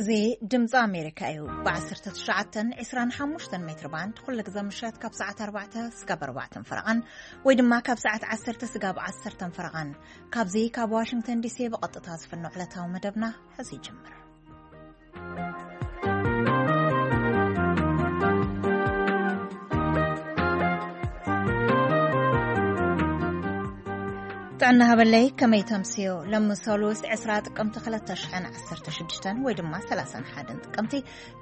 እዚ ድምፂ ኣሜሪካ እዩ። ብ19፣ 25 ሜትር ባንድ ኩሉ ግዜ ምሸት ካብ ሰዓት ኣርባዕተ ስጋብ ኣርባዕተን ፈረቓን፣ ወይ ድማ ካብ ሰዓት ዓሰርተ ስጋብ ዓሰርተን ፈረቓን፣ ካብዚ ካብ ዋሽንግተን ዲሲ ብቐጥታ ዝፍኖ ዕለታዊ መደብና ሕዚ ይጅምር። ጥዕና ሃበለይ፣ ከመይ ተምስዮ? ሎሚ ሰሉስ ዕስራ ጥቅምቲ ክልተ ሽሕን ዓሰርተ ሽዱሽተን ወይ ድማ ሰላሳን ሓደን ጥቅምቲ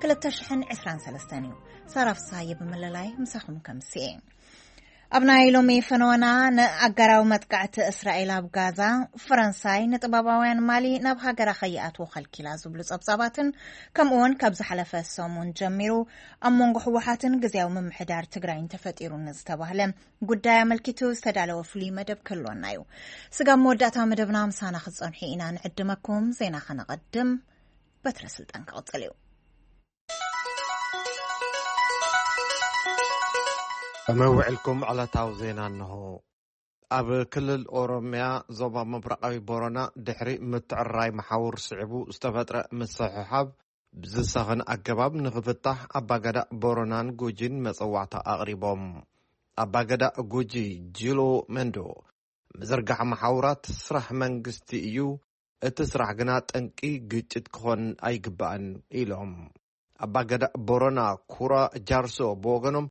ክልተ ሽሕን ዕስራን ሰለስተን እዩ። ሳራ ፍስሃየ ብምልላይ ምሳኹም ከምስየ። ኣብ ናይ ሎሚ ፈነወና፣ ንኣጋራዊ መጥቃዕቲ እስራኤል ኣብ ጋዛ፣ ፈረንሳይ ንጥበባውያን ማሊ ናብ ሃገራ ከይኣትዉ ከልኪላ ዝብሉ ጸብጻባትን፣ ከምኡውን ካብ ዝሓለፈ ሰሙን ጀሚሩ ኣብ መንጎ ህወሓትን ግዝያዊ ምምሕዳር ትግራይን ተፈጢሩ ንዝተባህለ ጉዳይ ኣመልኪቱ ዝተዳለወ ፍሉይ መደብ ክህልወና እዩ። ስጋብ መወዳእታ መደብና ምሳና ክትጸንሑ ኢና ንዕድመኩም። ዜና ከነቐድም፣ በትረ ስልጣን ክቕጽል እዩ። ከመይ ውዕልኩም? ዕለታዊ ዜና እንሆ። ኣብ ክልል ኦሮምያ ዞባ ምብራቓዊ ቦረና ድሕሪ ምትዕራይ መሓውር ስዒቡ ዝተፈጥረ ምስሕሓብ ብዝሰኸነ ኣገባብ ንኽፍታሕ ኣባገዳ ቦረናን ጉጂን መጸዋዕታ ኣቕሪቦም። ኣባገዳ ጉጂ ጂሎ መንዶ፣ ምዝርጋሕ መሓውራት ስራሕ መንግስቲ እዩ፣ እቲ ስራሕ ግና ጠንቂ ግጭት ክኾን ኣይግባእን ኢሎም። ኣባገዳ ቦረና ኩራ ጃርሶ ብወገኖም፣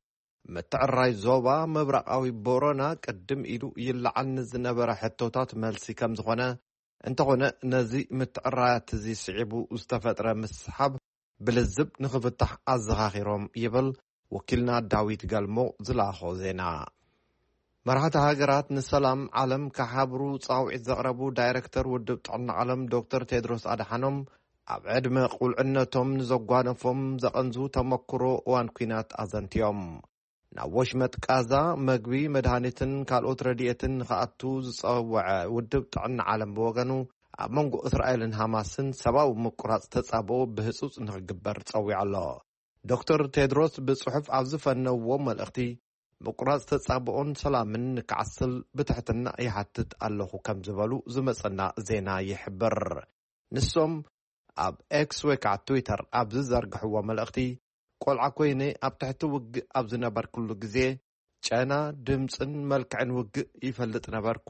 ምትዕራይ ዞባ ምብራቓዊ ቦረና ቅድም ኢሉ ይለዓል ንዝነበረ ሕቶታት መልሲ ከም ዝኾነ፣ እንተኾነ ነዚ ምትዕራያት እዚ ስዒቡ ዝተፈጥረ ምስሓብ ብልዝብ ንኽፍታሕ ኣዘኻኺሮም ይብል ወኪልና ዳዊት ገልሞ ዝለኣኾ ዜና። መራሕቲ ሃገራት ንሰላም ዓለም ክሓብሩ ጻውዒት ዘቕረቡ ዳይረክተር ውድብ ጥዕና ዓለም ዶክተር ቴድሮስ ኣድሓኖም፣ ኣብ ዕድመ ቁልዕነቶም ንዘጓነፎም ዘቐንዙ ተመክሮ እዋን ኲናት ኣዘንትዮም። ናብ ወሽመጥ ቃዛ መግቢ፣ መድሃኒትን ካልኦት ረድኤትን ንኽኣቱ ዝጸወዐ ውድብ ጥዕና ዓለም ብወገኑ፣ ኣብ መንጎ እስራኤልን ሃማስን ሰብኣዊ ምቁራጽ ተጻብኦ ብህጹጽ ንኽግበር ጸዊዑ ኣሎ። ዶክተር ቴድሮስ ብጽሑፍ ኣብ ዝፈነውዎ መልእኽቲ፣ ምቁራጽ ተጻብኦን ሰላምን ንክዓስል ብትሕትና ይሓትት ኣለኹ ከም ዝበሉ ዝመጸና ዜና ይሕብር። ንሶም ኣብ ኤክስ ወይ ከዓ ትዊተር ኣብ ዝዘርግሕዎ መልእኽቲ፣ ቆልዓ ኮይነ ኣብ ትሕቲ ውግእ ኣብ ዝነበርኩሉ ግዜ፣ ጨና፣ ድምጽን መልክዕን ውግእ ይፈልጥ ነበርኩ።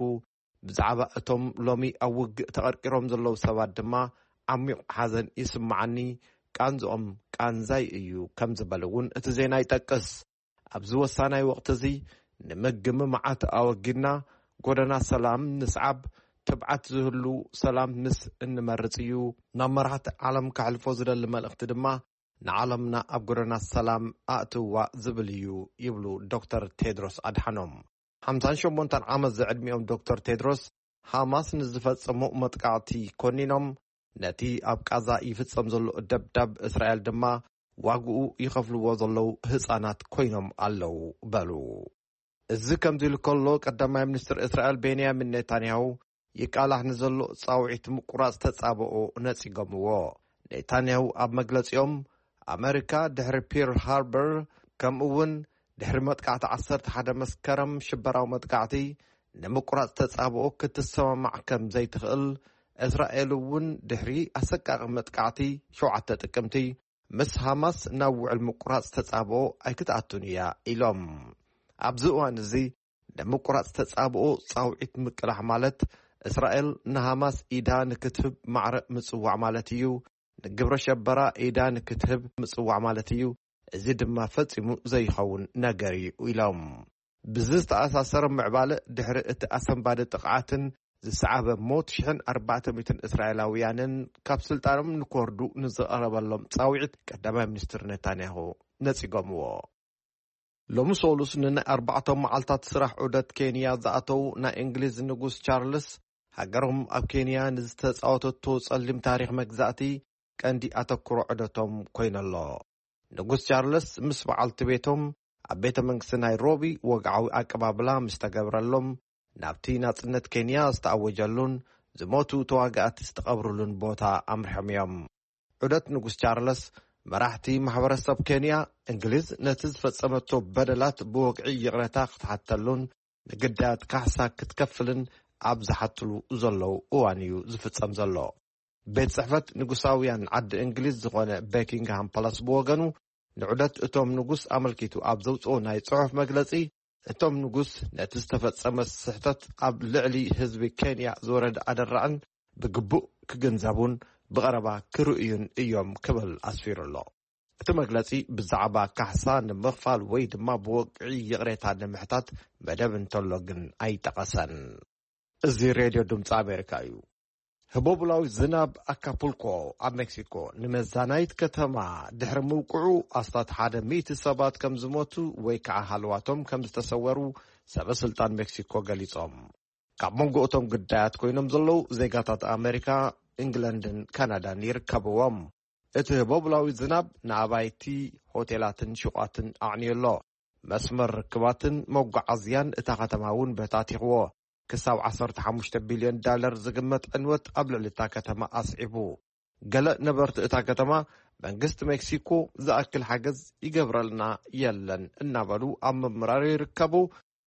ብዛዕባ እቶም ሎሚ ኣብ ውግእ ተቐርቂሮም ዘለዉ ሰባት ድማ ዓሚቕ ሓዘን ይስምዓኒ፣ ቃንዝኦም ቃንዛይ እዩ ከም ዝበለ እውን እቲ ዜና ይጠቅስ። ኣብዚ ወሳናይ ወቕቲ እዚ ንምግምማዓት ኣወጊድና ጎደና ሰላም ንስዓብ፣ ትብዓት ዝህሉ ሰላም ምስ እንመርጽ እዩ። ናብ መራሕቲ ዓለም ከሕልፎ ዝደሊ መልእኽቲ ድማ ንዓለምና ኣብ ጎደና ሰላም ኣእትዋ ዝብል እዩ ይብሉ ዶክተር ቴድሮስ ኣድሓኖም። ሓምሳን ሸሞንተን ዓመት ዝዕድሚኦም ዶክተር ቴድሮስ፣ ሃማስ ንዝፈጸሞ መጥቃዕቲ ኮኒኖም፣ ነቲ ኣብ ቃዛ ይፍጸም ዘሎ ደብዳብ እስራኤል ድማ ዋግኡ ይኸፍልዎ ዘለዉ ህጻናት ኮይኖም ኣለዉ በሉ። እዚ ከምዚ ኢሉ ከሎ፣ ቀዳማይ ሚኒስትር እስራኤል ቤንያሚን ኔታንያሁ ይቃላሕ ንዘሎ ጻውዒት ምቁራጽ ተጻብኦ ነጺጎምዎ። ኔታንያሁ ኣብ መግለጺኦም፣ ኣመሪካ ድሕሪ ፒርል ሃርበር፣ ከምኡ እውን ድሕሪ መጥቃዕቲ ዓሰርተ ሓደ መስከረም ሽበራዊ መጥቃዕቲ ንምቁራጽ ተጻብኦ ክትሰማማዕ ከም ዘይትኽእል፣ እስራኤል እውን ድሕሪ ኣሰቃቂ መጥቃዕቲ ሸውዓተ ጥቅምቲ ምስ ሃማስ ናብ ውዕል ምቁራጽ ተጻብኦ ኣይክትኣቱን እያ ኢሎም። ኣብዚ እዋን እዚ ንምቁራጽ ተጻብኦ ጻውዒት ምቅላሕ ማለት እስራኤል ንሃማስ ኢዳ ንክትህብ ማዕረ ምጽዋዕ ማለት እዩ። ንግብረ ሸበራ ኢዳ ንክትህብ ምጽዋዕ ማለት እዩ። እዚ ድማ ፈጺሙ ዘይኸውን ነገር እዩ ኢሎም። ብዚ ዝተኣሳሰረ ምዕባለ ድሕሪ እቲ ኣሰንባዲ ጥቕዓትን ዝሰዓበ ሞት ሽሕን ኣርባዕተ ሚእትን እስራኤላውያንን ካብ ስልጣኖም ንክወርዱ ንዝቐረበሎም ጻውዒት ቀዳማይ ሚኒስትር ኔታንያሁ ነጺጎምዎ። ሎሚ ሶሉስ ንናይ ኣርባዕተ መዓልታት ስራሕ ዑደት ኬንያ ዝኣተው ናይ እንግሊዝ ንጉስ ቻርልስ፣ ሃገሮም ኣብ ኬንያ ንዝተጻወተቶ ጸሊም ታሪኽ መግዛእቲ ቀንዲ ኣተኩሮ ዑደቶም ኮይነሎ። ንጉስ ቻርልስ ምስ በዓልቲ ቤቶም ኣብ ቤተ መንግስቲ ናይሮቢ ወግዓዊ ኣቀባብላ ምስ ተገብረሎም፣ ናብቲ ናጽነት ኬንያ ዝተኣወጀሉን ዝሞቱ ተዋጋእቲ ዝተቐብሩሉን ቦታ ኣምርሖም እዮም። ዑደት ንጉስ ቻርለስ፣ መራሕቲ ማሕበረሰብ ኬንያ፣ እንግሊዝ ነቲ ዝፈጸመቶ በደላት ብወግዒ ይቕረታ ክትሓተሉን ንግዳያት ካሕሳ ክትከፍልን ኣብ ዝሓትሉ ዘለዉ እዋን እዩ ዝፍጸም ዘሎ። ቤት ጽሕፈት ንጉሳውያን ዓዲ እንግሊዝ ዝኾነ ቤኪንግሃም ፓላስ ብወገኑ፣ ንዑደት እቶም ንጉስ ኣመልኪቱ ኣብ ዘውጽኦ ናይ ጽሑፍ መግለጺ፣ እቶም ንጉስ ነቲ ዝተፈጸመ ስሕተት ኣብ ልዕሊ ህዝቢ ኬንያ ዝወረደ ኣደራዕን ብግቡእ ክግንዘቡን ብቐረባ ክርእዩን እዮም ክብል ኣስፊሩ ኣሎ። እቲ መግለጺ ብዛዕባ ካሕሳ ንምኽፋል ወይ ድማ ብወግዒ ይቕሬታ ንምሕታት መደብ እንተሎ ግን ኣይጠቐሰን። እዚ ሬድዮ ድምፂ ኣሜሪካ እዩ። ህቦብላዊ ዝናብ ኣካፑልኮ ኣብ ሜክሲኮ ንመዛናይት ከተማ ድሕሪ ምውቅዑ ኣስታት ሓደ ሚእቲ ሰባት ከም ዝሞቱ ወይ ከዓ ሃልዋቶም ከም ዝተሰወሩ ሰበ ስልጣን ሜክሲኮ ገሊጾም። ካብ መንጎ እቶም ግዳያት ኮይኖም ዘለዉ ዜጋታት ኣሜሪካ፣ እንግለንድን ካናዳን ይርከብዎም። እቲ ህቦብላዊ ዝናብ ንኣባይቲ፣ ሆቴላትን ሹቓትን ኣዕንዩ ኣሎ። መስመር ርክባትን መጓዓዝያን እታ ከተማ እውን በታቲኽዎ። ክሳብ ዓሰርተ ሓሙሽተ ቢልዮን ዳለር ዝግመት ዕንወት ኣብ ልዕሊ እታ ከተማ ኣስዒቡ። ገለ ነበርቲ እታ ከተማ፣ መንግስቲ ሜክሲኮ ዝኣክል ሓገዝ ይገብረልና የለን እናበሉ ኣብ ምምራር ይርከቡ።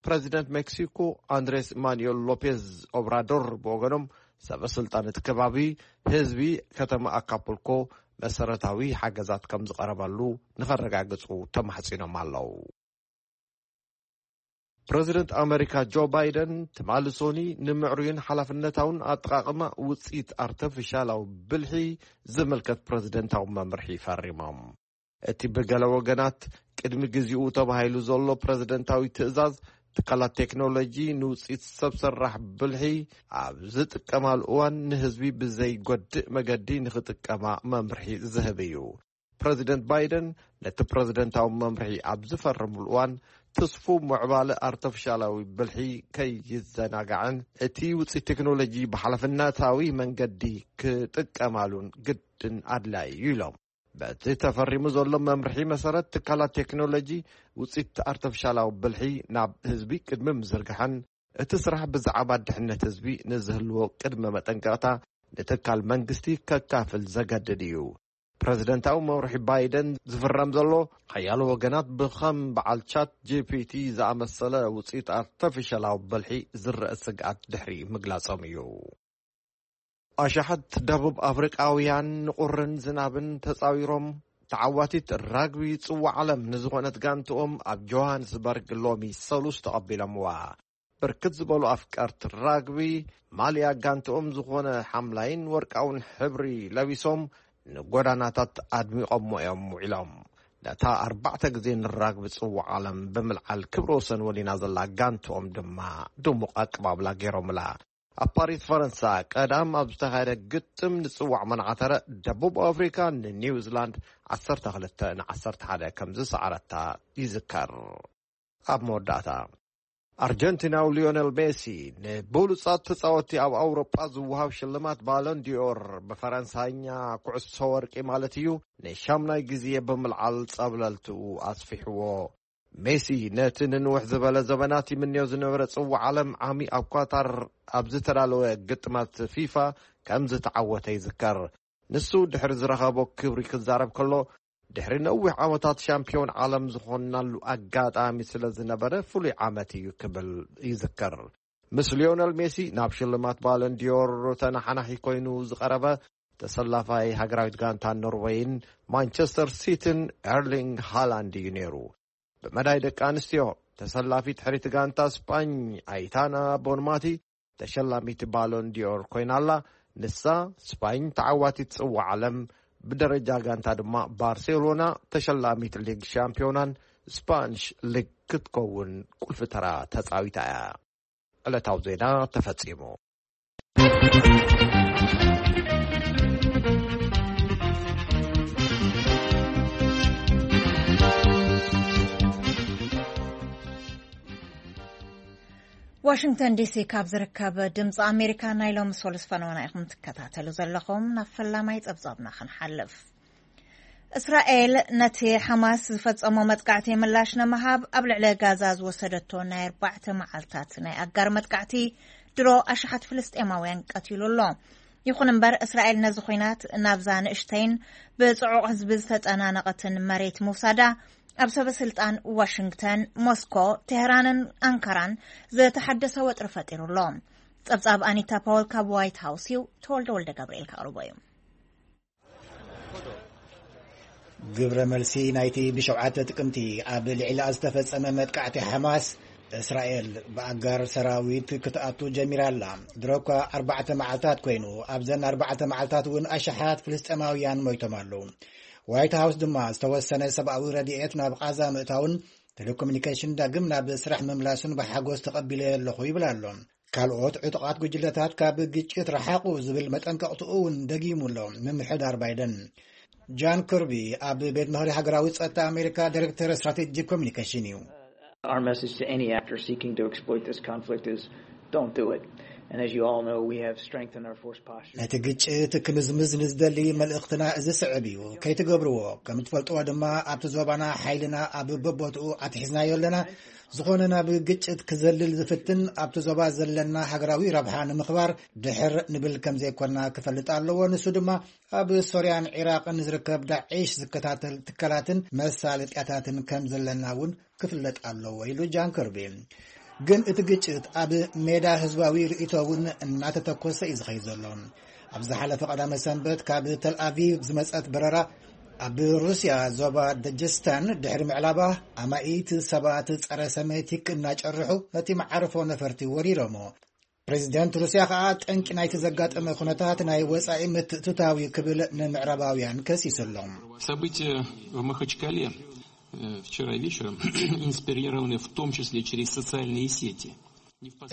ፕረዚደንት ሜክሲኮ ኣንድሬስ ማኑኤል ሎፔዝ ኦብራዶር ብወገኖም፣ ሰበ ስልጣን እቲ ከባቢ ህዝቢ ከተማ ኣካፑልኮ መሰረታዊ ሓገዛት ከም ዝቐረበሉ ንኸረጋግጹ ተማሕጺኖም ኣለዉ። ፕረዚደንት ኣመሪካ ጆ ባይደን ትማሊ ሶኒ ንምዕሩይን ሓላፍነታውን ኣጠቓቕማ ውፅኢት ኣርተፊሻላዊ ብልሒ ዝምልከት ፕረዚደንታዊ መምርሒ ፈሪሞም። እቲ ብገለ ወገናት ቅድሚ ግዜኡ ተባሂሉ ዘሎ ፕረዚደንታዊ ትእዛዝ፣ ትካላት ቴክኖሎጂ ንውፅኢት ሰብ ሰራሕ ብልሒ ኣብ ዝጥቀማሉ እዋን ንህዝቢ ብዘይጎድእ መገዲ ንኽጥቀማ መምርሒ ዝህብ እዩ። ፕረዚደንት ባይደን ነቲ ፕረዚደንታዊ መምርሒ ኣብ ዝፈርምሉ እዋን፣ ትስፉው ምዕባለ ኣርተፊሻላዊ ብልሒ ከይዘናጋዕን እቲ ውፅኢት ቴክኖሎጂ ብሓላፍነታዊ መንገዲ ክጥቀማሉን ግድን ኣድላዪ እዩ ኢሎም። በቲ ተፈሪሙ ዘሎ መምርሒ መሰረት፣ ትካላት ቴክኖሎጂ ውፅኢት ኣርተፊሻላዊ ብልሒ ናብ ህዝቢ ቅድሚ ምዝርጋሐን፣ እቲ ስራሕ ብዛዕባ ድሕነት ህዝቢ ንዝህልዎ ቅድመ መጠንቀቕታ ንትካል መንግስቲ ከካፍል ዘገድድ እዩ። ፕረዚደንታዊ መምርሒ ባይደን ዝፍረም ዘሎ፣ ሓያሎ ወገናት ብኸም በዓል ቻት ጂ ፒ ቲ ዝኣመሰለ ውፅኢት ኣርተፊሻላዊ ብልሒ ዝረአ ስግኣት ድሕሪ ምግላጾም እዩ። ኣሽሓት ደቡብ ኣፍሪቃውያን ንቁርን ዝናብን ተጻዊሮም፣ ተዓዋቲት ራግቢ ጽዋዕ ዓለም ንዝኾነት ጋንትኦም ኣብ ጆሃንስበርግ ሎሚ ሰሉስ ተቐቢሎምዋ። ብርክት ዝበሉ ኣፍቀርቲ ራግቢ፣ ማልያ ጋንትኦም ዝኾነ ሓምላይን ወርቃውን ሕብሪ ለቢሶም፣ ንጎዳናታት ኣድሚቖሞ እዮም ውዒሎም። ነታ ኣርባዕተ ግዜ ንራግቢ ጽዋዕ ዓለም ብምልዓል ክብረ ወሰን ወሊና ዘላ ጋንትኦም ድማ ድሙቕ ኣቀባብላ ገይሮምላ። ኣብ ፓሪስ ፈረንሳ ቀዳም ኣብ ዝተኻየደ ግጥም ንጽዋዕ መናዓተረ፣ ደቡብ ኣፍሪካ ንኒውዚላንድ ዓሰርተ ክልተ ንዓሰርተ ሓደ ከም ዝሰዓረታ ይዝከር። ኣብ መወዳእታ፣ ኣርጀንቲናዊ ሊዮነል ሜሲ ንብሉጻት ተጻወቲ ኣብ ኣውሮጳ ዝወሃብ ሽልማት ባሎን ዲኦር፣ ብፈረንሳይኛ ኩዕሶ ወርቂ ማለት እዩ፣ ንሻምናይ ግዜ ብምልዓል ጸብለልትኡ ኣስፊሕዎ። ሜሲ ነቲ ንንውሕ ዝበለ ዘበናት ይምንዮ ዝነበረ ጽዋዕ ዓለም ዓሚ ኣብ ኳታር ኣብ ዝተዳለወ ግጥማት ፊፋ ከም ዝተዓወተ ይዝከር። ንሱ ድሕሪ ዝረኸቦ ክብሪ ክዛረብ ከሎ፣ ድሕሪ ነዊሕ ዓመታት ሻምፒዮን ዓለም ዝኾንናሉ ኣጋጣሚ ስለ ዝነበረ ፍሉይ ዓመት እዩ ክብል ይዝከር። ምስ ሊዮነል ሜሲ ናብ ሽልማት ባሎን ዲዮር ተነሓናሒ ኮይኑ ዝቐረበ ተሰላፋይ ሃገራዊት ጋንታ ኖርወይን ማንቸስተር ሲቲን ኤርሊንግ ሃላንድ እዩ ነይሩ። ብመዳይ ደቂ ኣንስትዮ፣ ተሰላፊት ሕሪት ጋንታ ስጳኝ ኣይታና ቦንማቲ ተሸላሚት ባሎን ዲዮር ኮይና ኣላ። ንሳ ስጳኝ ተዓዋቲት ጽዋዕ ዓለም፣ ብደረጃ ጋንታ ድማ ባርሴሎና ተሸላሚት ሊግ ሻምፒዮናን ስፓንሽ ሊግ ክትከውን ቁልፊ ተራ ተጻዊታ እያ። ዕለታዊ ዜና ተፈጺሙ። ዋሽንግተን ዲሲ ካብ ዝርከብ ድምፂ ኣሜሪካ ናይ ሎሚ ሰሉስ ፈነወና ኢኹም ትከታተሉ ዘለኹም። ናብ ፈላማይ ፀብፃብና ክንሓልፍ። እስራኤል ነቲ ሓማስ ዝፈጸሞ መጥቃዕቲ ምላሽ ንምሃብ ኣብ ልዕሊ ጋዛ ዝወሰደቶ ናይ ኣርባዕተ መዓልታት ናይ ኣጋር መጥቃዕቲ ድሮ ኣሽሓት ፍልስጤማውያን ቀቲሉ ኣሎ። ይኹን እምበር፣ እስራኤል ነዚ ኲናት ናብዛ ንእሽተይን ብጽዑቕ ህዝቢ ዝተጨናነቐትን መሬት ምውሳዳ፣ ኣብ ሰበ ስልጣን ዋሽንግተን፣ ሞስኮ፣ ቴህራንን ኣንካራን ዝተሓደሰ ወጥሪ ፈጢሩ ኣሎ። ጸብጻብ ኣኒታ ፓወል ካብ ዋይት ሃውስ እዩ። ተወልደ ወልደ ገብርኤል ከቕርቦ እዩ። ግብረ መልሲ ናይቲ ብሸውዓተ ጥቅምቲ ኣብ ልዕሊኣ ዝተፈጸመ መጥቃዕቲ ሓማስ፣ እስራኤል ብኣጋር ሰራዊት ክትኣቱ ጀሚራ ኣላ። ድሮ እኳ ኣርባዕተ መዓልታት ኮይኑ፣ ኣብዘን ኣርባዕተ መዓልታት እውን ኣሽሓት ፍልስጤማውያን ሞይቶም ኣለዉ። ዋይት ሃውስ ድማ ዝተወሰነ ሰብኣዊ ረድኤት ናብ ቓዛ ምእታውን ቴሌኮሙኒኬሽን ዳግም ናብ ስራሕ ምምላሱን ብሓጎስ ተቐቢለ ኣለኹ ይብል ኣሎ። ካልኦት ዕጡቓት ጉጅለታት ካብ ግጭት ረሓቑ ዝብል መጠንቀቕትኡ እውን ደጊሙ ኣሎ ምምሕዳር ባይደን። ጃን ክርቢ ኣብ ቤት ምኽሪ ሃገራዊ ጸጥታ ኣሜሪካ ዳይሬክተር ስትራቴጂክ ኮሚኒኬሽን እዩ። Our message to any actor seeking to exploit this conflict is don't do it. And as you all know, we have strengthened our force posture. ነቲ ግጭት ክምዝምዝ ንዝደሊ መልእኽትና እዚ ስዕብ እዩ። ከይትገብርዎ። ከም ትፈልጥዎ ድማ ኣብቲ ዞባና ሓይልና ኣብ በቦትኡ ኣትሒዝናዮ ኣለና። ዝኾነ ናብ ግጭት ክዘልል ዝፍትን ኣብቲ ዞባ ዘለና ሃገራዊ ረብሓ ንምኽባር ድሕር ንብል ከም ዘይኮና ክፈልጥ ኣለዎ። ንሱ ድማ ኣብ ሶርያን ዒራቕን ዝርከብ ዳዒሽ ዝከታተል ትካላትን መሳለጥያታትን ከም ዘለና እውን ክፍለጥ ኣለዎ ኢሉ ጃን ከርቢ። ግን እቲ ግጭት ኣብ ሜዳ ህዝባዊ ርእይቶ እውን እናተተኮሰ እዩ ዝኸይድ ዘሎ። ኣብ ዝሓለፈ ቀዳመ ሰንበት ካብ ተልኣቪቭ ዝመጸት በረራ ኣብ ሩስያ ዞባ ደጀስታን ድሕሪ ምዕላባ ኣማኢት ሰባት ጸረ ሰሜቲክ እናጨርሑ ነቲ መዓርፎ ነፈርቲ ወሪሮሞ። ፕሬዚደንት ሩስያ ከኣ ጠንቂ ናይቲ ዘጋጠመ ኩነታት ናይ ወጻኢ ምትእትታው እዩ ክብል ንምዕራባውያን ከሲሱ ኣሎ። События в Махачкале э, вчера вечером инспирированы в том числе через социальные сети.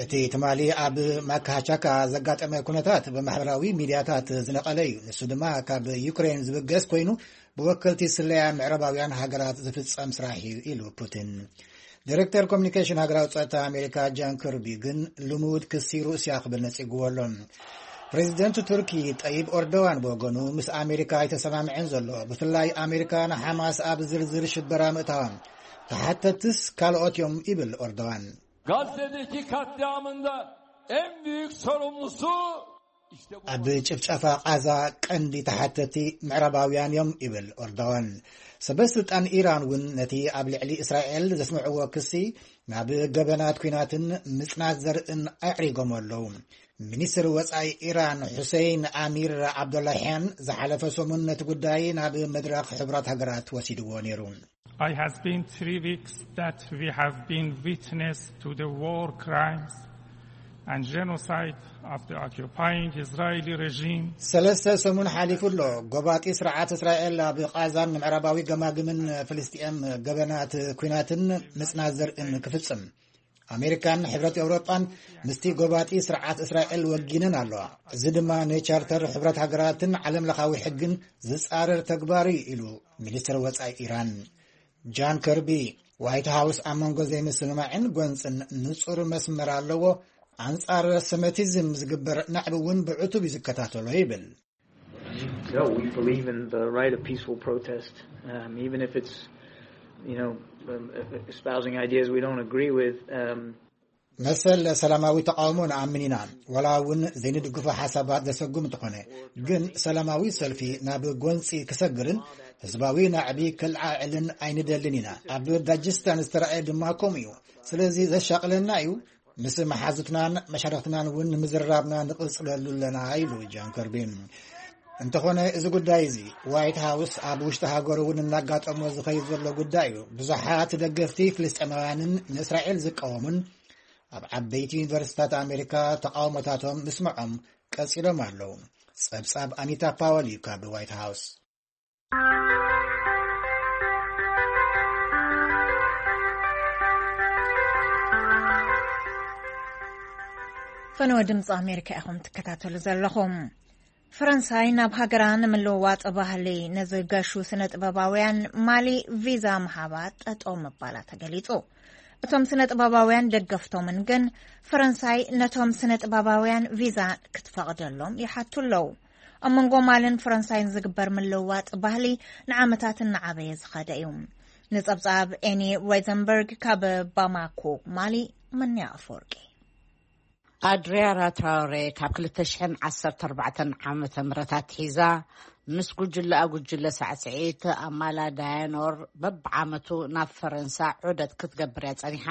እቲ ትማሊ ኣብ ማካሃቻካ ዘጋጠመ ኩነታት ብማሕበራዊ ሚድያታት ዝነቐለ እዩ። ንሱ ድማ ካብ ዩክሬን ዝብገስ ኮይኑ ብወከልቲ ስለያ ምዕራባውያን ሃገራት ዝፍጸም ስራሕ እዩ ኢሉ ፑቲን። ዲሬክተር ኮሚኒኬሽን ሃገራዊ ጸጥታ ኣሜሪካ ጃን ክርቢ ግን ልሙድ ክሲ ሩስያ ክብል ነጺግዎ ኣሎ። ፕሬዚደንት ቱርኪ ጠይብ ኦርዶዋን ብወገኑ ምስ ኣሜሪካ ኣይተሰማምዐን ዘሎ። ብፍላይ ኣሜሪካ ንሓማስ ኣብ ዝርዝር ሽበራ ምእታዋ ተሓተትስ ካልኦት እዮም ይብል ኦርዶዋን። Gazze'deki katliamında en büyük sorumlusu işte bu. ኣብ ጭፍጨፋ ቓዛ ቀንዲ ተሓተቲ ምዕራባውያን እዮም ይብል ኦርዶዋን። ሰበስልጣን ኢራን እውን ነቲ ኣብ ልዕሊ እስራኤል ዘስምዕዎ ክሲ ናብ ገበናት ኲናትን ምጽናት ዘርእን ኣዕሪጎም ኣለዉ። ሚኒስትር ወጻኢ ኢራን ሑሴይን ኣሚር ዓብዶላሕያን ዝሓለፈ ሰሙን ነቲ ጉዳይ ናብ መድረኽ ሕቡራት ሃገራት ወሲድዎ ነይሩ። It has been three weeks that we have been witness to the war crimes and genocide of the occupying Israeli regime. ሰለስተ ሰሙን ሓሊፉ ኣሎ። ጎባጢ ስርዓት እስራኤል ኣብ ቓዛን ምዕራባዊ ገማግምን ፍልስጥኤም ገበናት ኲናትን ምጽናት ዘርእን ክፍጽም ኣሜሪካን ሕብረት ኤውሮጳን ምስቲ ጎባጢ ስርዓት እስራኤል ወጊነን ኣለዋ። እዚ ድማ ንቻርተር ሕብረት ሃገራትን ዓለም ለኻዊ ሕግን ዝጻረር ተግባር እዩ ኢሉ ሚኒስትር ወጻኢ ኢራን። ጃን ከርቢ ዋይት ሃውስ ኣብ መንጎ ዘይምስምማዕን ጎንጽን ንጹር መስመር ኣለዎ። ኣንጻር ሰመቲዝም ዝግበር ናዕቢ እውን ብዕቱብ እዩ ዝከታተሎ ይብል። No, we believe in the right of peaceful protest, um, even if it's, you know, um, espousing ideas we don't agree with. Um, መሰል ሰላማዊ ተቃውሞ ንኣምን ኢና፣ ወላ እውን ዘይንድግፎ ሓሳባት ዘሰጉም እንተኾነ። ግን ሰላማዊ ሰልፊ ናብ ጎንፂ ክሰግርን ህዝባዊ ናዕቢ ክልዓዕልን ኣይንደልን ኢና። ኣብ ዳጅስታን ዝተረኣየ ድማ ከምኡ እዩ። ስለዚ ዘሻቕለና እዩ። ምስ መሓዙትናን መሻርኽትናን እውን ንምዝርራብና ንቕፅለሉ ኣለና ኢሉ ጃን ከርቢ። እንተኾነ እዚ ጉዳይ እዚ ዋይት ሃውስ ኣብ ውሽጢ ሃገሩ እውን እናጋጠሞ ዝኸይድ ዘሎ ጉዳይ እዩ። ብዙሓት ደገፍቲ ፍልስጤማውያንን ንእስራኤል ዝቃወሙን ኣብ ዓበይቲ ዩኒቨርሲታት ኣሜሪካ ተቃውሞታቶም ምስምዖም ቀጺሎም ኣለዉ። ጸብጻብ ኣኒታ ፓወል እዩ ካብ ዋይት ሃውስ። ፈነወ ድምፂ ኣሜሪካ ኢኹም ትከታተሉ ዘለኹም። ፈረንሳይ ናብ ሃገራ ንምልውዋጥ ባህሊ ንዝገሹ ስነ ጥበባውያን ማሊ ቪዛ ምሃባ ጠጠው ምባላ ተገሊጹ። እቶም ስነ ጥበባውያን ደገፍቶምን ግን ፈረንሳይ ነቶም ስነ ጥበባውያን ቪዛ ክትፈቕደሎም ይሓቱ ኣለዉ። ኣብ መንጎ ማልን ፈረንሳይን ዝግበር ምልውዋጥ ባህሊ ንዓመታት እናዓበየ ዝኸደ እዩ። ንጸብጻብ ኤኒ ሮይዘንበርግ ካብ ባማኮ ማሊ። መን ኣፈወርቂ። ኣድሪያራ ትራውሬ ካብ ክልተ ሽሕን ዓሰርተ ኣርባዕተን ዓመተ ምህረት ኣትሒዛ ምስ ጉጅለኣ ጉጅለ ሳዕስዒት ኣማላ ዳያኖር በብዓመቱ ናብ ፈረንሳ ዑደት ክትገብር እያ ጸኒሓ።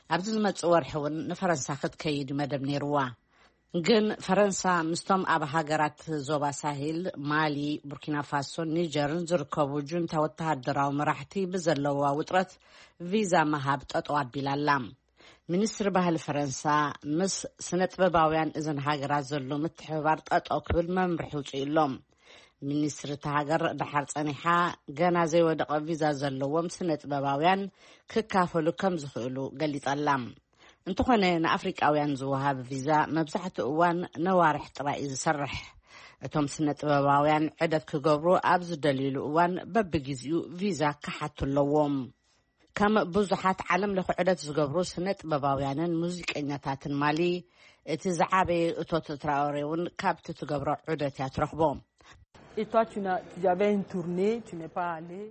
ኣብዚ ዝመጽእ ወርሒ እውን ንፈረንሳ ክትከይድ እዩ መደብ ነይርዋ። ግን ፈረንሳ ምስቶም ኣብ ሃገራት ዞባ ሳሂል፣ ማሊ፣ ቡርኪና ፋሶን ኒጀርን ዝርከቡ ጁንታ ወተሃደራዊ መራሕቲ ብዘለዋ ውጥረት ቪዛ ምሃብ ጠጠው ኣቢላ ኣላ። ሚኒስትሪ ባህሊ ፈረንሳ ምስ ስነ ጥበባውያን እዘን ሃገራት ዘሎ ምትሕብባር ጠጠው ክብል መምርሒ ውፅኡ ኣሎ። ሚኒስትሪ እታ ሃገር ደሓር ጸኒሓ፣ ገና ዘይወደቐ ቪዛ ዘለዎም ስነ ጥበባውያን ክካፈሉ ከም ዝኽእሉ ገሊጻ ኣላ። እንተኾነ ንኣፍሪቃውያን ዝወሃብ ቪዛ መብዛሕትኡ እዋን ነዋርሕ ጥራይ እዩ ዝሰርሕ። እቶም ስነ ጥበባውያን ዕደት ክገብሩ ኣብ ዝደልዩሉ እዋን በብግዜኡ ቪዛ ክሓቱ ኣለዎም። ከም ብዙሓት ዓለም ለኸ ዑደት ዝገብሩ ስነ ጥበባውያንን ሙዚቀኛታትን ማሊ፣ እቲ ዝዓበየ እቶት ትራኦሬ እውን ካብቲ ትገብሮ ዑደት እያ ትረኽቦ። Et toi, tu n'as, tu avais une tournée, tu n'es pas allé.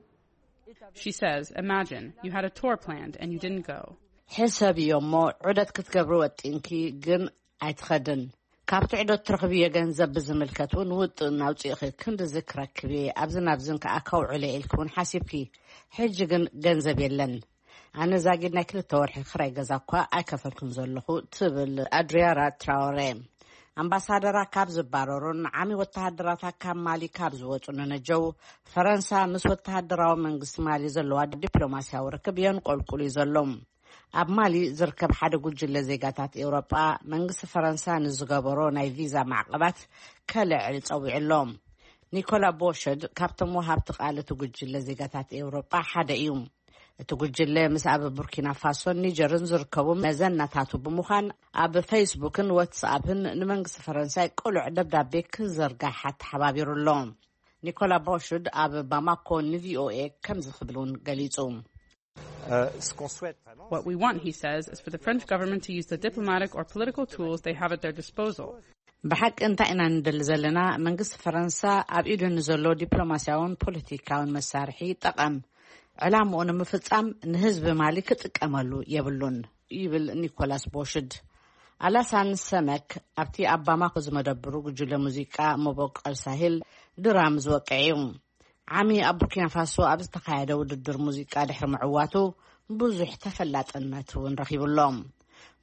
She says, imagine you had a tour planned and you didn't go. ሕሰብዮ እሞ፣ ዑደት ክትገብሪ ወጢንኪ ግን ኣይትኸድን። ካብቲ ዑደት ትረኽብዮ ገንዘብ ብዝምልከት እውን ውጥን ኣውፂእኺ፣ ክንድዚ ክረክብ እየ፣ ኣብዚ ናብዝን ከኣ ከውዕሎ ኢልኪ እውን ሓሲብኪ። ሕጂ ግን ገንዘብ የለን። ኣነ ዛጊድ ናይ ክልተ ወርሒ ክራይ ገዛ እኳ ኣይከፈልኩን ዘለኹ፣ ትብል ኣድሪያራ ትራወሬ። ኣምባሳደራ ካብ ዝባረሩን ዓሚ ወተሃደራታ ካብ ማሊ ካብ ዝወፁ ንነጀው፣ ፈረንሳ ምስ ወተሃደራዊ መንግስቲ ማሊ ዘለዋ ዲፕሎማስያዊ ርክብ የንቆልቁል እዩ ዘሎ። ኣብ ማሊ ዝርከብ ሓደ ጉጅለ ዜጋታት ኤውሮጳ፣ መንግስቲ ፈረንሳ ንዝገበሮ ናይ ቪዛ ማዕቐባት ከልዕል ጸዊዑ ኣሎ። ኒኮላ ቦሸድ ካብቶም ወሃብቲ ቃል እቲ ጉጅለ ዜጋታት ኤውሮጳ ሓደ እዩ። እቲ ጉጅለ ምስ ኣብ ቡርኪና ፋሶን ኒጀርን ዝርከቡ መዘናታቱ ብምዃን፣ ኣብ ፌስቡክን ዋትስኣፕን ንመንግስቲ ፈረንሳይ ቅሉዕ ደብዳቤ ክዘርጋሕ ኣተሓባቢሩ ኣሎ። ኒኮላ ቦሽድ ኣብ ባማኮ ንቪኦኤ ከምዚ ክብል እውን ገሊጹ። What we want, he says, is for the French government to use the diplomatic or political tools they have at their disposal. ብሓቂ እንታይ ኢና ንደሊ ዘለና? መንግስቲ ፈረንሳ ኣብ ኢዱ ንዘሎ ዲፕሎማስያውን ፖለቲካውን መሳርሒ ይጠቐም። ዕላምኡ ንምፍጻም ንህዝቢ ማሊ ክጥቀመሉ የብሉን፣ ይብል ኒኮላስ ቦሽድ። ኣላሳን ሰመክ ኣብቲ ኣብ ባማኮ ዝመደብሩ ጉጅለ ሙዚቃ መበቆል ሳሂል ድራም ዝወቅዕ እዩ። ዓሚ ኣብ ቡርኪና ፋሶ ኣብ ዝተኻየደ ውድድር ሙዚቃ ድሕሪ ምዕዋቱ ብዙሕ ተፈላጥነት እውን ረኺቡ ኣሎ።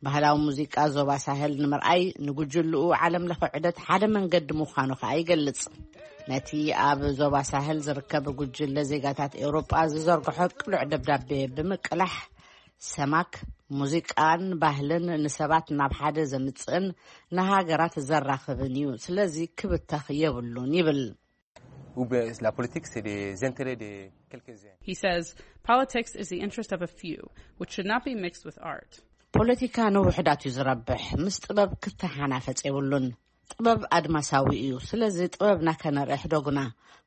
ባህላዊ ሙዚቃ ዞባ ሳህል ንምርኣይ ንጉጅልኡ ዓለም ለኸ ዑደት ሓደ መንገዲ ምዃኑ ከኣ ይገልጽ። ነቲ ኣብ ዞባ ሳህል ዝርከብ ጉጅለ ዜጋታት ኤውሮጳ ዝዘርግሖ ቅሉዕ ደብዳቤ ብምቅላሕ፣ ሰማክ ሙዚቃን ባህልን ንሰባት ናብ ሓደ ዘምጽእን ንሃገራት ዘራኽብን እዩ፣ ስለዚ ክብተኽ የብሉን ይብል። Ou bien la politique, c'est des intérêts de quelques-uns. He says politics is the interest of a few, which should not be mixed with art. ፖለቲካ ንውሑዳት እዩ ዝረብሕ፣ ምስ ጥበብ ክተሓናፈጽ የብሉን። ጥበብ ኣድማሳዊ እዩ፣ ስለዚ ጥበብና ከነርኢ ሕደጉና።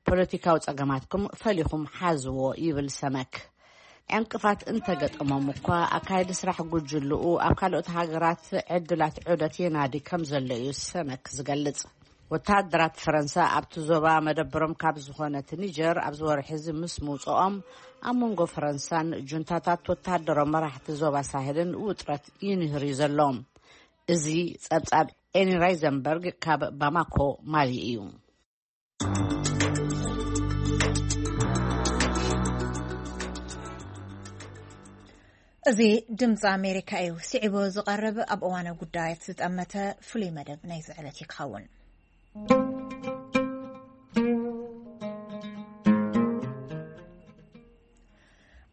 ፖለቲካዊ ጸገማትኩም ፈሊኹም ሓዝዎ፣ ይብል ሰመክ። ዕንቅፋት እንተገጠሞም እኳ፣ ኣካየዲ ስራሕ ጉጅልኡ ኣብ ካልኦት ሃገራት ዕድላት ዑደት የናዲ ከም ዘሎ እዩ ሰመክ ዝገልጽ። ወተሃደራት ፈረንሳ ኣብቲ ዞባ መደበሮም ካብ ዝኾነት ኒጀር ኣብዚ ወርሒ እዚ ምስ ምውፅኦም፣ ኣብ መንጎ ፈረንሳን ጁንታታት ወተሃደራዊ መራሕቲ ዞባ ሳህልን ውጥረት ይንህር እዩ ዘሎ። እዚ ጸብጻብ ኤኒ ራይዘንበርግ ካብ ባማኮ ማሊ እዩ። እዚ ድምፂ ኣሜሪካ እዩ። ስዒቡ ዝቐርብ ኣብ እዋነ ጉዳያት ዝጠመተ ፍሉይ መደብ ናይዚ ዕለት እዩ ክኸውን።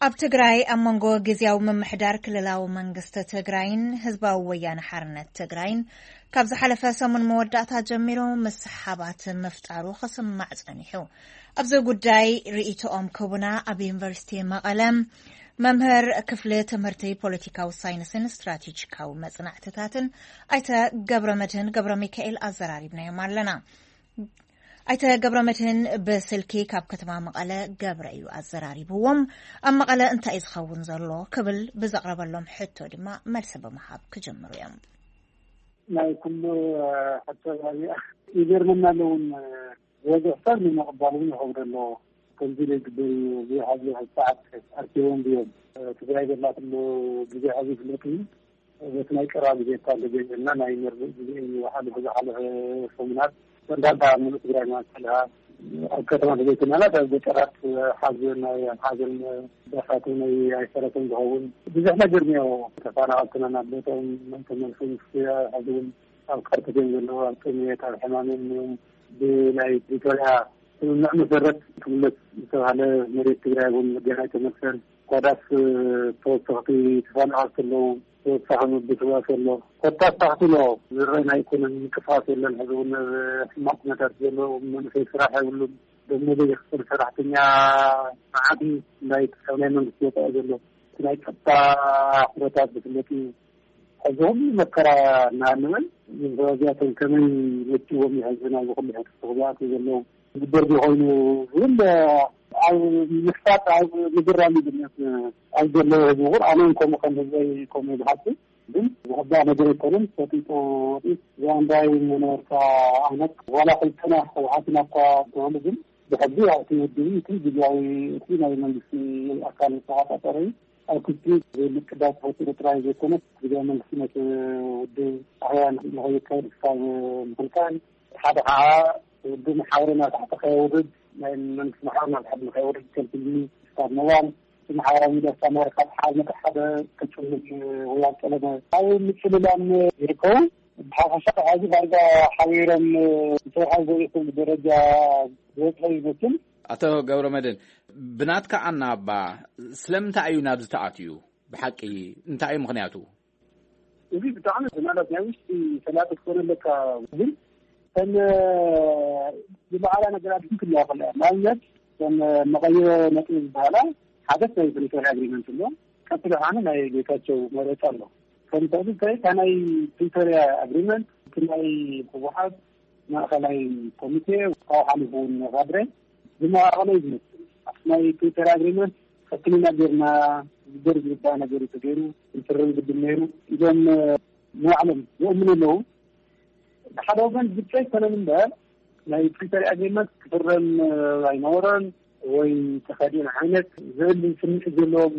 ኣብ ትግራይ ኣብ መንጎ ግዝያዊ ምምሕዳር ክልላዊ መንግስቲ ትግራይን ህዝባዊ ወያነ ሓርነት ትግራይን ካብ ዝሓለፈ ሰሙን መወዳእታ ጀሚሩ ምስሓባት ምፍጣሩ ክስማዕ ጸኒሑ። ኣብዚ ጉዳይ ርእይቶኦም ክህቡና ኣብ ዩኒቨርሲቲ መቐለ መምህር ክፍሊ ትምህርቲ ፖለቲካዊ ሳይንስን ስትራቴጂካዊ መጽናዕትታትን ኣይተ ገብረ መድህን ገብረ ሚካኤል ኣዘራሪብናዮም ኣለና። ኣይተ ገብረ መድህን ብስልኪ ካብ ከተማ መቐለ ገብረ እዩ ኣዘራሪብዎም። ኣብ መቐለ እንታይ እዩ ዝኸውን ዘሎ ክብል ብዘቕረበሎም ሕቶ ድማ መልሲ ብምሃብ ክጅምሩ እዮም። ናይ ኩሉ ሕቶ ኣብያ ይገርመና ኣለውን። ዝበዝሕ ሰብ ንምቕባል እውን ይኸብዶ ኣለዎ። ከምዚ ኢለ ይግበር እዩ፣ ብዙሕ ኣብዚ ሕዚ ሰዓት ኣርኪቦም ድዮም? ትግራይ ዘላትሉ ግዜ ሕዚ ይፍለጥ እዩ። በቲ ናይ ቀረባ ግዜ እኳ እንተጀሚርና፣ ናይ መርድእ ግዜ እዩ። ሓለፈ ዝሓለፈ ሰሙናት እንዳባ ሙሉእ ትግራይ ማለት ከለኻ፣ ኣብ ከተማ ተዘይኮናላት ኣብ ገጠራት ሓዘን፣ ናይ ሓዘን ዳሳት እውን ኣይሰረተን ዝኸውን ብዙሕ ነገር እኒኦ። ተፈናቐልትና ናብ ቦታኦም ተመልሱ ምስ ሕዚ እውን ኣብ ቀርተት እዮም ዘለዉ፣ ኣብ ጥሜት ኣብ ሕማም እዮም። ብናይ ፕሪቶርያ ስምምዕ መሰረት ክምለስ ዝተባሃለ መሬት ትግራይ እውን ገና ኣይተመልሰን። ኳዳስ ተወሰኽቲ ተፈናቐልቲ ኣለዉ፣ ተወሳኺ ምብስባስ ኣሎ። ኮታ ኣስታኽቲ ኣሎ። ዝረአ ናይ ኢኮኖሚ ምንቅስቃስ የለን። ሕዚ እውን ኣብ ሕማቕ ኩነታት ዘሎ መንእሰይ ስራሕ የብሉን። ደሞዝ ዘይኽፈል ሰራሕተኛ መዓት እዩ። ናይ ክሳብ ናይ መንግስቲ ወፃኢ ዘሎ እቲ ናይ ፀጥታ ኩነታት ዝፍለጥ እዩ። ሕዚ ሁሉ መከራ እናሃለወ እዞም እዚኣቶም ከመይ መፂዎም ይሕዝን ኣብዚ ኩሉ ሕትት ክዝኣቱ ዘለዉ ዝግበር ኮይኑ ዝብል ኣብ ምሕሳብ ኣብ ምግራም ይግነት ኣብ ዘለዉ ህዝቢ እውን ኣነ እውን ከምኡ ከም ህዝበይ ከምኡ ዝሓስብ ግን ዝሕባእ ነገር ኣይኮነን። ፈጢጡ ወጢት ዛንዳይ መነበርታ ዓይነት ዋላ ክልተና ህወሓትና እኳ እንተኾነ ግን ብሕጊ ያው እቲ ውድብ እቲ ግዜያዊ እቲ ናይ መንግስቲ ኣካል ዝተቆጻጸረ እዩ። ኣብ ክልቲኡ ዘይምቅዳድ ተፈጢሩ ጥራይ ዘይኮነስ ግዜያዊ መንግስቲ ነቲ ውድብ ኣህያ ንኸይካየድ ክሳብ ምኽልካል ሓደ ከዓ ውድብ ማሕበረ ናብ ታሕቲ ከየውርድ ናይ መንግስቲ ማሕበረ ናብ ታሕቲ ንኸየውርድ ከልክልኒ ክሳብ ምባል እቲ ማሕበራዊ ሚድያ ክሳብ ማሕበረ ካብ ሓደ መተ ሓደ ከጭልም ወይ ኣብ ጠለመ ኣብ ምጭልላም ይርከቡ። ብሓፈሻ ሕዚ ዳርጋ ሓቢሮም ክሰርሑ ዘይኽእሉ ደረጃ ዝበፅሑ ይመስል። ኣቶ ገብረ መድህን፣ ብናትካ ኣናባ ስለምንታይ እዩ ናብዚ ተኣትዩ? ብሓቂ እንታይ እዩ ምኽንያቱ? እዚ ብጣዕሚ ማለት ናይ ውሽጢ ፈላጥ ክትኮነ ኣለካ። ግን ከም ዝበዓላ ነገራት ግን ክለያ ከለያ ንኣብነት ከም መቐይሮ ነጥቢ ዝበሃላ ሓደት ናይ ፕሪቶርያ ኣግሪመንት ኣሎ። ቀጥሎ ከዓ ናይ ጌታቸው መረፃ ኣሎ። ከም ተቕድታይ እታ ናይ ፕሪቶርያ ኣግሪመንት እቲ ናይ ህወሓት ማእኸላይ ኮሚቴ ካብኡ ሓሊፉ እውን ካድረ ብመዋቕሎ እዩ ዝመስል። ኣብቲ ናይ ፕሪቶርያ ኣግሪመንት ፈትንና ጌርና ዝግበር ዝግባእ ነገር እዩ ተገይሩ፣ ክንፍርም ግድን ነይሩ ኢሎም ንባዕሎም ይእምኑ ኣለዉ። ብሓደ ወገን ግብፂ ኣይኮነን እምበር ናይ ፕሪቶርያ ኣግሪመንት ክፍረም ኣይነበሮን ወይ ተኸዲን ዓይነት ዝብል ስምዒት ዘለዎም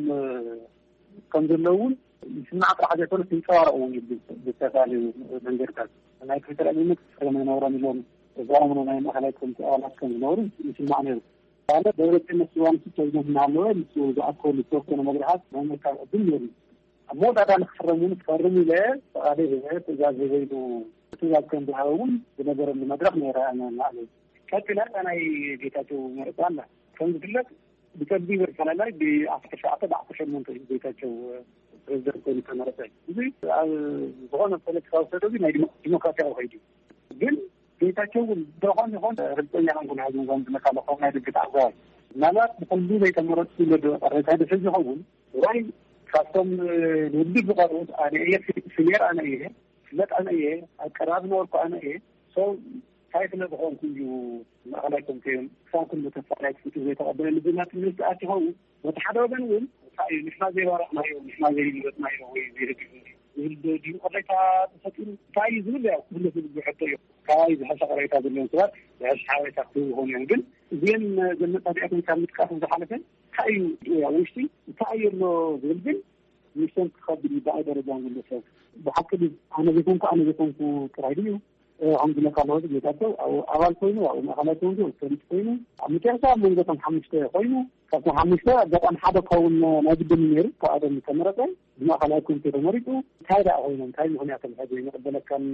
ከም ዘለዉ እውን ይስማዕ ጥራሕ ዘይኮነስ ይንፀባረቕ እውን እዩ። ብዝተፈላለዩ መንገድታት ናይ ፕሪቶርያ ኣግሪመንት ክፍረም ኣይነበሮን ኢሎም ዘኣምኑ ናይ ማእኸላይ ኮሚቴ ኣባላት ከም ዝነበሩ ይስማዕ ነይሩ። ካልእ ደብረፅዮን ምስ ዮሃንስ ፕሬዚደንት እናሃለወ ንሱ ዝኣከሉ ዝተወሰነ መድረኻት ናይ ምርካብ ዕድል ነይሩ። ኣብ መወዳእታ ንክፍረም እውን ክፈርም ኢለ ፍቓደይ ሂበ ትእዛዝ ሂበ ኢሉ ትእዛዝ ከም ዝሃበ እውን ዝነገረሉ መድረኽ ነይረ። ኣነ ንባዕለይ ቀፂላ እታ ናይ ጌታቸው መረፃ ኣላ። ከም ዝፍለጥ ብፀቢብ ኣፈላላይ ብኣስራ ትሽዓተ ብኣስራ ሸሞንተ እዩ ጌታቸው ፕሬዚደንት ኮይኑ ዝተመረፀ። እዚ ኣብ ዝኾነ ፖለቲካዊ ሰደዱ ናይ ዲሞ- ዲሞክራሲያዊ ከይዱ ግን ጌታቸው እውን ዝኾን ይኾን ርግፀኛ ኮንኩን። ሕዚ ንዞም ዝመካ ለኾም ናይ ድግት ኣዛዋይ ምናልባት ብኩሉ ዘይተመረፅኩ ኢለ ዶ ቅሬታ ድሕዝ ይኸውን ወይ ካብቶም ንውድብ ዝቐርቡት ኣነ እየ ሲኒየር ኣነ እየ ፍለጥ ኣነ እየ ኣቀራብ ነበርኩ ኣነ እየ ሰው እንታይ ስለ ዝኾንኩ እዩ ማእኸላይ ኮሚቴ ክሳብ ክንዲ ተስፋ ናይ ትፍቱ ዘይተቐበለኒ ዝብል ትምህርቲ ኣትኸውን። በቲ ሓደ ወገን እውን እንታይ እዩ ንሕና ዘይባረቕናዮ ንሕና ዘይመረፅናዮ ወይ ዘይደገፍናዮ ዝብል ድዩ ቅሬታ ተፈጢሩ እንታይ እዩ ዝብል ያው ክፍለጥ ዝግብኦ ሕቶ እዩ። ካባይ ዝሐሸ ቅሬታ ዘለዎም ሰባት ዝሐሸ ሓበሬታ ክህቡ ይኾኑ እዮም። ግን እዚኦም ዘመፃቢያቶም ካብ ምጥቃስ ዝሓለፈ እንታይ እዩ ኣብ ውሽጢ እንታይ እዩ ኣሎ ዝብል ግን ንሶም ክኸብድ እዩ ብኣይ ደረጃ ንግለሰብ ብሓቂ ድዩ ኣነ ዘይኮንኩ ኣነ ዘይኮንኩ ጥራይ ድዩ ከም ዝለካ ኣለዎ ጌታቸው ኣብኡ ኣባል ኮይኑ ኣብኡ ማእኸላይ ኮይኑ ፈሊጥ ኮይኑ ኣብ መጨረሻ ኣብ መንጎ እቶም ሓሙሽተ ኮይኑ ካብቶም ሓሙሽተ ኣጋጣሚ ሓደ ክኸውን ናይ ግድን ነይሩ ካብኣቶም ዝተመረፀ ብማእኸላይ ኮሚቴ ተመሪፁ እንታይ ደኣ ኮይኖም እንታይ ምኽንያቶም ሕዚ ንቕበለካን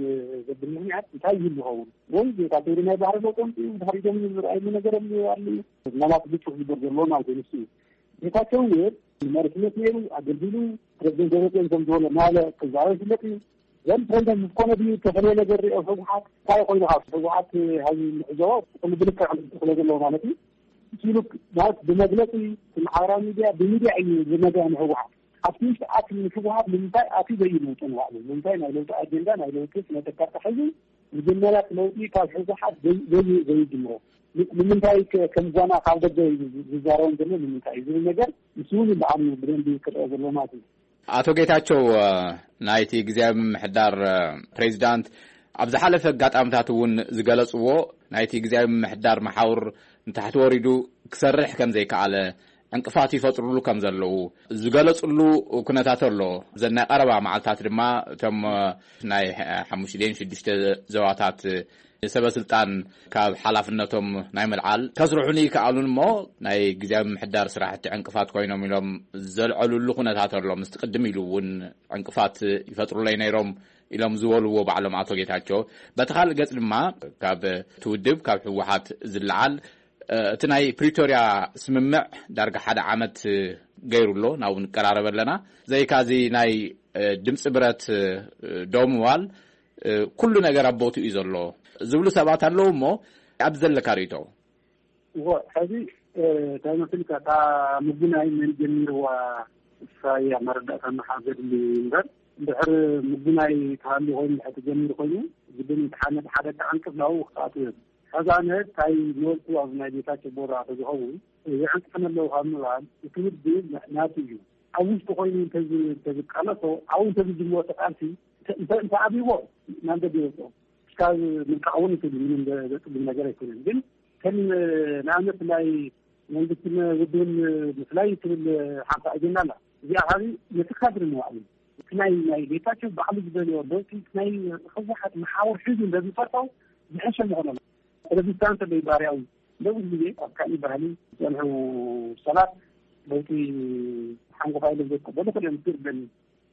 ዘብል ምኽንያት እንታይ ይህሉ ይኸውን ወይ ጌታቸው ናይ ባህሪ ለውጦም ድሕሪቶም ዝረኣየሉ ነገር ኣሎ ምናልባት ግጭት ዝግበር ዘለዎ ማለት እዩ ንሱ እዩ ጌታቸው እውን መሪሕነት ነይሩ ኣገልጊሉ ፕሬዚደንት ደብረፅዮን ከም ዝበሎ ማለ ክዛረብ ይፍለጥ እዩ ዘም ፕሬዚደንት ዝኾነ ድዩ ተፈለየ ነገር ሪኦ ህወሓት እንታይ ኮይኑ ካብ ህወሓት ሃዚ ምሕዞ ኩሉ ብልክዕ ክለ ዘለዎ ማለት እዩ ሲሉ ማለት ብመግለፂ ማሕበራዊ ሚድያ ብሚድያ እዩ ዝነገር ንህወሓት ኣብቲ ውሽጢ ኣት ንህወሓት ንምንታይ ኣትዩ ዘይልውጡ ንባዕሉ ንምንታይ ናይ ለውጢ ኣጀንዳ ናይ ለውጢ ስነተካታ ሒዙ መጀመርያ እቲ ለውጢ ካብ ህወሓት ዘይጅምሮ ንምንታይ ከም ጓና ካብ ደገ ዝዛረቦም ዘሎ ንምንታይ እዩ ዝብል ነገር ምስ እውን ይበዓል ብደንቢ ክረአ ዘሎ ማለት እዩ። ኣቶ ጌታቸው ናይቲ ግዜያዊ ምምሕዳር ፕሬዚዳንት ኣብ ዝሓለፈ ኣጋጣምታት እውን ዝገለፅዎ ናይቲ ግዜያዊ ምምሕዳር መሓውር ንታሕቲ ወሪዱ ክሰርሕ ከም ዘይከኣለ ዕንቅፋት ይፈጥሩሉ ከም ዘለዉ ዝገለጽሉ ኩነታት ኣሎ። ዘናይ ቀረባ መዓልታት ድማ እቶም ናይ ሓሙሽተ ሽዱሽተ ዘዋታት ሰበ ስልጣን ካብ ሓላፍነቶም ናይ ምልዓል ከስርሑን ይከኣሉን እሞ ናይ ግዜያዊ ምሕዳር ስራሕቲ ዕንቅፋት ኮይኖም ኢሎም ዘልዐሉሉ ኩነታት ኣሎ። ምስቲ ቅድም ኢሉ እውን ዕንቅፋት ይፈጥሩለይ ነይሮም ኢሎም ዝበልዎ ባዕሎም ኣቶ ጌታቸው፣ በቲ ካልእ ገጽ ድማ ካብ ትውድብ ካብ ህወሓት ዝለዓል እቲ ናይ ፕሪቶርያ ስምምዕ ዳርጋ ሓደ ዓመት ገይሩ ኣሎ። ናብኡ ንቀራረብ ኣለና። ዘይካዚ ናይ ድምፂ ብረት ደው ምባል ኩሉ ነገር ኣብ ቦትኡ እዩ ዘሎ ዝብሉ ሰባት ኣለዉ። እሞ ኣብ ዘለካ ርእቶ? እዎ፣ ሕዚ እንታይ መሲልካ፣ እታ ምጉናይ መን ጀሚርዋ እሳ እያ መረዳእታ መሓዘ ድሊ እምበር፣ እንድሕር ምጉናይ ተሃልዩ ኮይኑ፣ ድሕር ተጀሚሩ ኮይኑ፣ ግድን እቲ ሓመድ ሓደ ክዓንቅፍ ናብኡ ክኣትው እዮም። ሕዚ ኣነ እንታይ ዝበልኩ፣ ኣብ ናይ ጌታቸው ቦታ ተዝኸውን ይዕንቅፍን ኣለዉ ካብ ምባል፣ እቲ ውድብ ናቱ እዩ። ኣብ ውሽጢ ኮይኑ እንተዝቃለሶ፣ ኣብኡ እንተዝጅምሮ እቲ ቃልሲ እንተኣብይዎ ናብ ደገ ይወፅኦ። እስካብ ምልቃቕ እውን ይኽእል እዩ፣ ምንም ዘፅግም ነገር ኣይኮነን። ግን ከም ንኣብነት ናይ መንግስትን ውድብን ምፍላይ ትብል ሓንቲ ኣጀንዳ ኣላ። እዚኣ ካብ ነቲ ካድሪ ንባዕሉ እቲ ናይ ናይ ጌታቸው ባዕሉ ዝበልዮ ለውጢ ናይ ህወሓት መሓውር ሒዙ እንደዝፈርዖ ዝሐሸ ምኾነ። ስለዚ ስታንስ ኣለይ ባህርያዊ። ነብዙ ግዜ ኣብ ካሊእ ባህሊ ዝፀንሑ ሰባት ለውጢ ሓንጎፋ ኢሎም ዘይቀበሉ ክልኦም ትርደኒ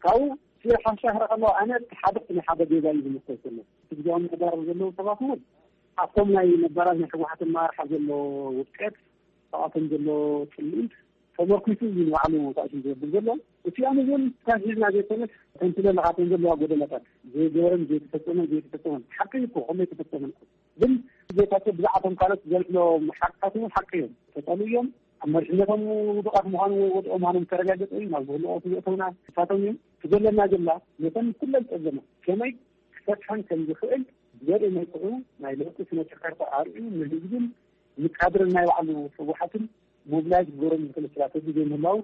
ካብኡ ስለ ሓሻህረ ከለዋ ኣነ ሓደ ናይ ሓደ ጌጋ እዩ ዝምሰል ዘሎ። እቲ ግዜያዊ ምሕዳር ዘለዉ ሰባት እውን ኣብቶም ናይ ነባራት ናይ ህወሓት ኣመራርሓ ዘሎ ውድቀት፣ ኣብኣቶም ዘሎ ፅልኢት ተመርኪሱ እዩ ንባዕሉ ታእሽም ዝገብር ዘሎ። እቲኦም እውን ካብ ሒዝና ዘይኮነስ ተንትለ ኣለኻቶም ዘለዋ ጎደላታት ዘይገበረን ዘይተፈፀመን ዘይተፈፀመን ሓቂ እኮ ከመይ ተፈፀመን ግን ጌታቸው ብዛዕባቶም ካልኦት ዘልዕሎም ሓቅታት እውን ሓቂ እዮም። ተጠሉ እዮም። ኣብ መሪሕነቶም ውዱቓት ምዃኑ ወይ ወድኦ ምዃኖም ተረጋገጠ እዩ ናብ ዝህልኦ ትዘእተውና ንሳቶም እዮም። ትዘለና ዘላ ነተን ኩለን ጸገማት ከመይ ክፈትሐን ከም ዝኽእል ዘርኢ መልክዑ ናይ ለውጢ ስነ ጨከርታ ኣርእዩ ንህዝብን ንካድርን ናይ ባዕሉ ህወሓትን ሞብላይዝ ክገብሮም ዝኽእል ስትራተጂ ዘይምህላው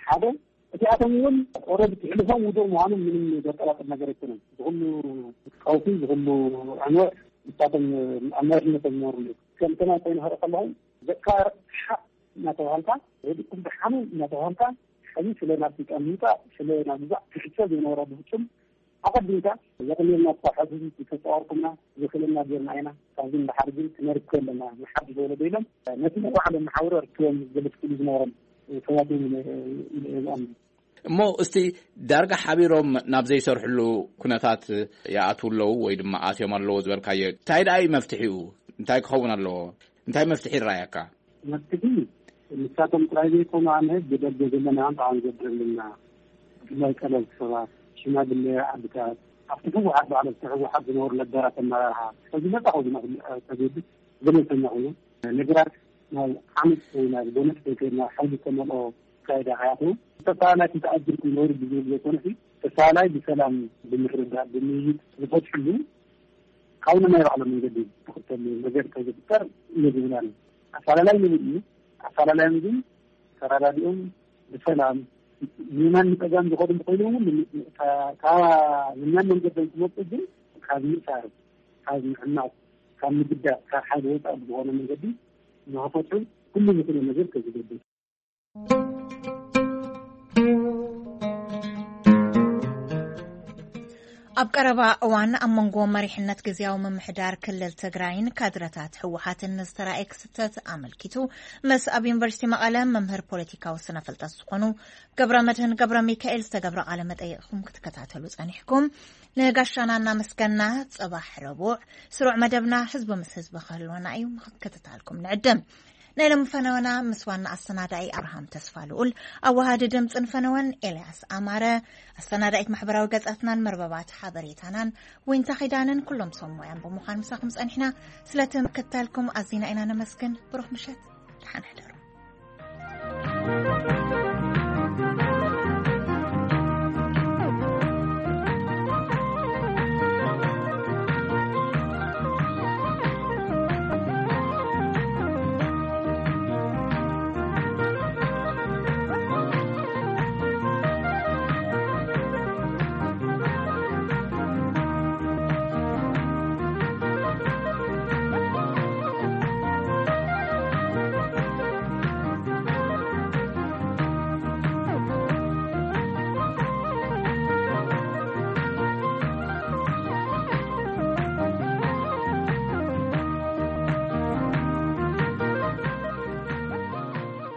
ሓደ። እቲኣቶም እውን ኦረዲ ክሕልፎም ውዱእ ምዃኖም ምንም ዘጠራጥር ነገር ኣይኮነን። ዝኹሉ ቀውሲ ዝኹሉ ዕንወት ንሳቶም ኣብ መሪሕነቶም ዝነበሩ እዮም። ከምተና ኮይኑ ክርኢ ከለኹም ደቃ ሓቅ እናተባሃልካ ወዲኩም ብሓመም እናተባሃልካ ሕዚ ስለ ናብ ስልጣን ምምፃእ ስለ ናብ ግዛዕ ክሕሰብ ዝነበሮ ብፍፁም ኣቐዲምካ ዘቕልልና እኳ ሕዚ ዝተፀዋርኩምና ዝኽእለና ጌርና ኢና ካብዚ ንሓር ግን ክነርክ ኣለና ንሓድሽ ወለዶ ኢሎም ነቲ ንባዕሎም መሓውሮ ኣርክቦም ዝገለፅኩሉ ዝነበሮም ሰባት እዮም ኢለ እየ ዝኣምን። እሞ እስቲ ዳርጋ ሓቢሮም ናብ ዘይሰርሕሉ ኩነታት ይኣትዉ ኣለዉ ወይ ድማ ኣትዮም ኣለዉ ዝበልካዮ እንታይ ደኣ እዩ መፍትሒኡ? እንታይ ክኸውን ኣለዎ? እንታይ መፍትሒ ይረኣየካ? መፍትሒ ንሳቶም ጥራይ ዘይኮኑ ኣነ ብደገ ዘለና ኣንጣ ንገብር ኣለና። ብፍላይ ቀለልቲ ሰባት፣ ሽማግለ ዓድታት፣ ኣብቲ ህወሓት በዓል ኣብቲ ህወሓት ዝነበሩ ነባራት ኣመራርሓ፣ ሕዚ ነፃ ኮይኑ ተገድስ ገለልተኛ ኮይኑ ነገራት ናብ ዓመፅ ወይ ናብ ጎነፅ ከይከድና ሓይሊ ዝተመልኦ ኣካይዳ ከይኣተው ተፈላለይ ተኣጅርኩም ነውሪ ብዝብል ዘይኮነ ተፈላለይ ብሰላም ብምርዳእ ብምይይጥ ዝፈትሕሉ ካብ ናይ ባዕሎም መንገዲ ዝኽተሉ ነገር ከዝፍጠር እየ ዝብል ኣነ። ኣፈላላይ ንብል እዩ። ኣፈላላይ ግን ተረዳዲኦም ብሰላም ንየማን ንፀጋም ዝኸዱ እንተኮይኖም እውን ካብ የማን መንገዶም ክመፁ ግን ካብ ምእሳር ካብ ምዕማፅ ካብ ምግዳእ ካብ ሓይሊ ወፃኢ ብዝኾነ መንገዲ ንክፈትሑ ኩሉ ዝኽእሎ ነገር ከዝገብር። ኣብ ቀረባ እዋን ኣብ መንጎ መሪሕነት ግዝያዊ ምምሕዳር ክልል ትግራይን ካድረታት ህወሓትን ዝተራእየ ክስተት ኣመልኪቱ ምስ ኣብ ዩኒቨርሲቲ መቐለ መምህር ፖለቲካዊ ስነ ፍልጠት ዝኾኑ ገብረ መድህን ገብረ ሚካኤል ዝተገብረ ቃለ መጠይቕኩም ክትከታተሉ ጸኒሕኩም። ንጋሻና እናመስገና ጽባሕ ረቡዕ ስሩዕ መደብና ህዝቢ ምስ ህዝቢ ክህልወና እዩ ምክትታልኩም ንዕድም። ናይ ሎሚ ፈነወና ምስ ዋና ኣሰናዳኢ ኣብርሃም ተስፋ ልኡል፣ ኣዋሃዲ ድምፅን ፈነወን ኤልያስ ኣማረ፣ ኣሰናዳኢት ማሕበራዊ ገጻትናን መርበባት ሓበሬታናን ዊንታ ኺዳንን ኩሎም ሰብ ሞያን ብምዃን ምሳኹም ጸኒሕና። ስለቲ ምክትታልኩም ኣዚና ኢና ነመስግን። ብሩኽ ምሸት፣ ደሓን ሕደሩ።